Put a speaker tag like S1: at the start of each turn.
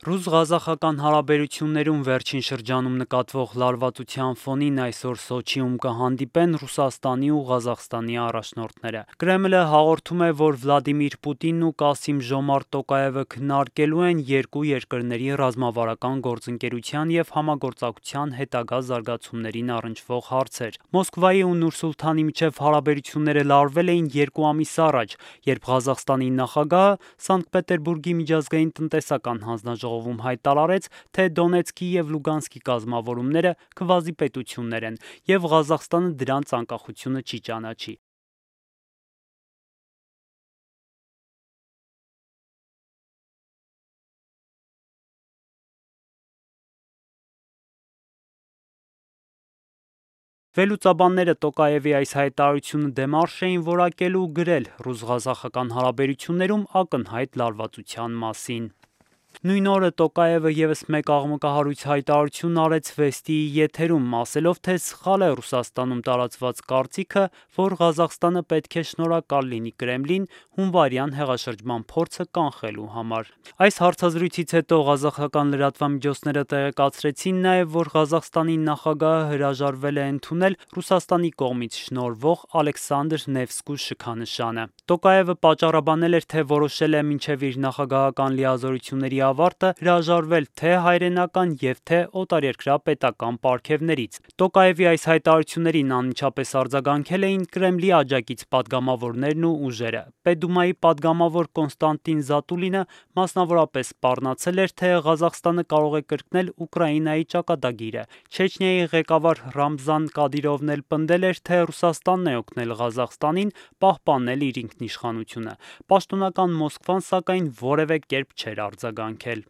S1: Ռուս-ղազախական հարաբերություններում վերջին շրջանում նկատվող լարվածության ֆոնին այսօր Սոչիում կհանդիպեն Ռուսաստանի ու Ղազախստանի առաջնորդները։ Կրեմլը հաղորդում է, որ Վլադիմիր Պուտինն ու Կասիմ Ժոմարտ Տոկաևը քննարկելու են երկու երկրների ռազմավարական գործընկերության և համագործակցության հետագա զարգացումներին առնչվող հարցեր։ Մոսկվայի ու Նուր-Սուլթանի միջև հարաբերությունները լարվել էին 2 ամիս առաջ, երբ Ղազախստանի նախագահը Սանկտ Պետերբուրգի միջազգային տնտեսական հանձնաժողովում հայտարարեց, թե Դոնեցկի և Լուգանսկի կազմավորումները քվազիպետություններ են, և Ղազախստանը դրանց անկախությունը չի ճանաչի։ Վերլուծաբանները Տոկաևի այս հայտարարությունը դեմարշ էին որակել ու գրել ռուս-ղազախական հարաբերություններում ակնհայտ լարվածության մասին։ Նույն օրը Տոկաևը ևս մեկ աղմկահարույց հայտարարություն արեց Վեստիի եթերում, ասելով, թե սխալ է Ռուսաստանում տարածված կարծիքը, որ Ղազախստանը պետք է շնորհակալ լինի Կրեմլին հունվարյան հեղաշրջման փորձը կանխելու համար։ Այս հարցազրույցից հետո ղազախական լրատվամիջոցները տեղեկացրեցին նաև, որ Ղազախստանի նախագահը հրաժարվել է ընդունել Ռուսաստանի կողմից շնորհվող Ալեքսանդր Նևսկու շքանշանը։ Տոկաևը պատճառաբանել էր, թե որոշել է մինչև իր նախագահական լիազորությունների ավարտը հրաժարվել թե հայրենական և թե օտարերկրյա պետական պարգևներից։ Տոկաևի այս հայտարարություններին անմիջապես արձագանքել էին Կրեմլի աջակից պատգամավորներն ու ուժերը։ Պետդումայի պատգամավոր Կոնստանտին Զատուլինը մասնավորապես սպառնացել էր, թե Ղազախստանը կարող է կրկնել Ուկրաինայի ճակատագիրը։ Չեչնիայի ղեկավար Ռամզան Կադիրովն էլ պնդել էր, թե Ռուսաստանն է օգնել Ղազախստանին պահպանել իր ինքնիշխանությունը։ Պաշտոնական Մոսկվան, սակայն, որևէ կերպ չէր արձագանքել։